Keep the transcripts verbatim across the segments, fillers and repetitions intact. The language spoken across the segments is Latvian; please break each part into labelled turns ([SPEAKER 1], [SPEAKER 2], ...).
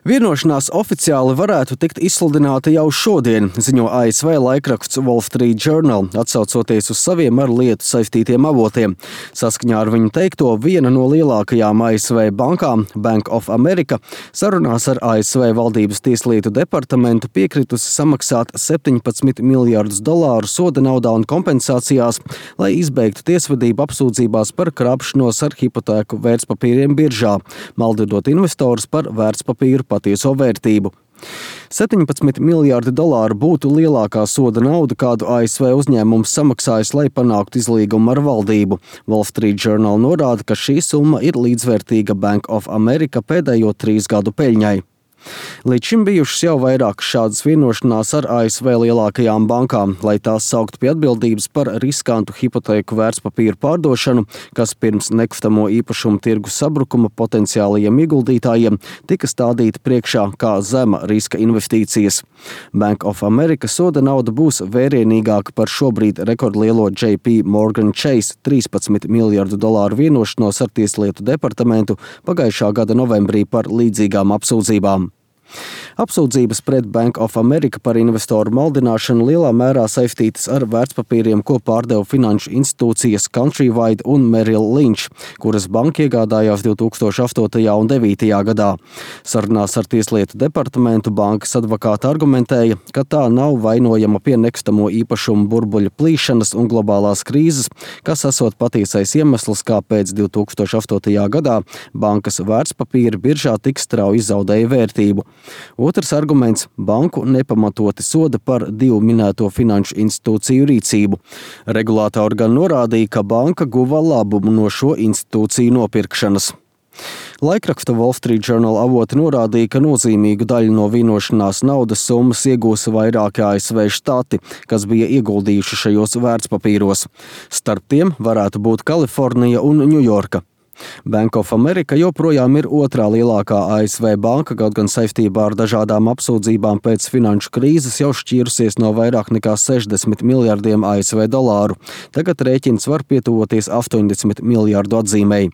[SPEAKER 1] Vienošanās oficiāli varētu tikt izsludināta jau šodien, ziņo A S V laikraksts Wall Street Journal, atsaucoties uz saviem ar lietu saistītiem avotiem. Saskaņā ar viņu teikto, viena no lielākajām A S V bankām, Bank of America, sarunās ar A S V valdības tieslietu departamentu piekritusi samaksāt septiņpadsmit miljardus dolāru soda naudā un kompensācijās, lai izbeigtu tiesvedību apsūdzībās par krāpšanos ar hipotēku vērtspapīriem biržā, maldinot investorus par vērtspapīru patieso vērtību. septiņpadsmit miljardi dolāru būtu lielākā soda nauda, kādu A S V uzņēmums samaksājis, lai panāktu izlīgumu ar valdību. Wall Street Journal norāda, ka šī summa ir līdzvērtīga Bank of America pēdējo trīs gadu peļņai. Līdz šim bijušas jau vairākas šādas vienošanās ar A S V lielākajām bankām, lai tās sauktu pie atbildības par riskantu hipotēku vērtspapīru pārdošanu, kas pirms nekustamo īpašumu tirgus sabrukuma potenciālajiem ieguldītājiem tika stādīta priekšā kā zema riska investīcijas. Bank of America soda nauda būs vērienīgāka par šobrīd rekordlielo J P Morgan Chase trīspadsmit miljardu dolāru vienošanos ar tieslietu departamentu pagājušā gada novembrī par līdzīgām apsūdzībām. Apsūdzības pret Bank of America par investoru maldināšanu lielā mērā saistītas ar vērtspapīriem, ko pārdeva finanšu institūcijas Countrywide un Merrill Lynch, kuras banka iegādājās divi tūkstoši astotajā un devītajā gadā. Sarunās ar tieslietu departamentu bankas advokāti argumentēja, ka tā nav vainojama pie nekustamo īpašumu burbuļu plīšanas un globālās krīzes, kas esot patiesais iemesls, kāpēc divi tūkstoši astotajā gadā bankas vērtspapīri biržā tik strauji zaudēja vērtību. Otrs arguments – banku nepamatoti soda par divu minēto finanšu institūciju rīcību. Regulātori gan norādīja, ka banka guva labumu no šo institūciju nopirkšanas. Laikraksta Wall Street Journal avoti norādīja, ka nozīmīgu daļu no vienošanās naudas summas iegūs vairāki A S V štati, kas bija ieguldījuši šajos vērtspapīros. Starp tiem varētu būt Kalifornija un Ņujorka. Bank of America joprojām ir otrā lielākā A S V banka, kaut gan saistībā ar dažādām apsūdzībām pēc finanšu krīzes jau šķīrusies no vairāk nekā sešdesmit miljardiem A S V dolāru. Tagad rēķins var pietuvoties astoņdesmit miljardu atzīmei.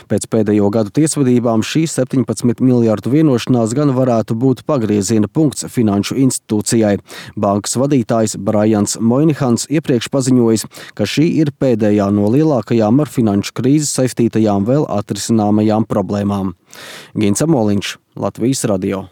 [SPEAKER 1] Pēc pēdējo gadu tiesvedībām šī septiņpadsmit miljardu vienošanās gan varētu būt pagrieziena punkts finanšu institūcijai. Bankas vadītājs Brians Moynihans iepriekš paziņojis, ka šī ir pēdējā no lielākajām ar finanšu krīzes saistītajām vēl atrisināmajām problēmām. Gins Amoliņš, Latvijas radio.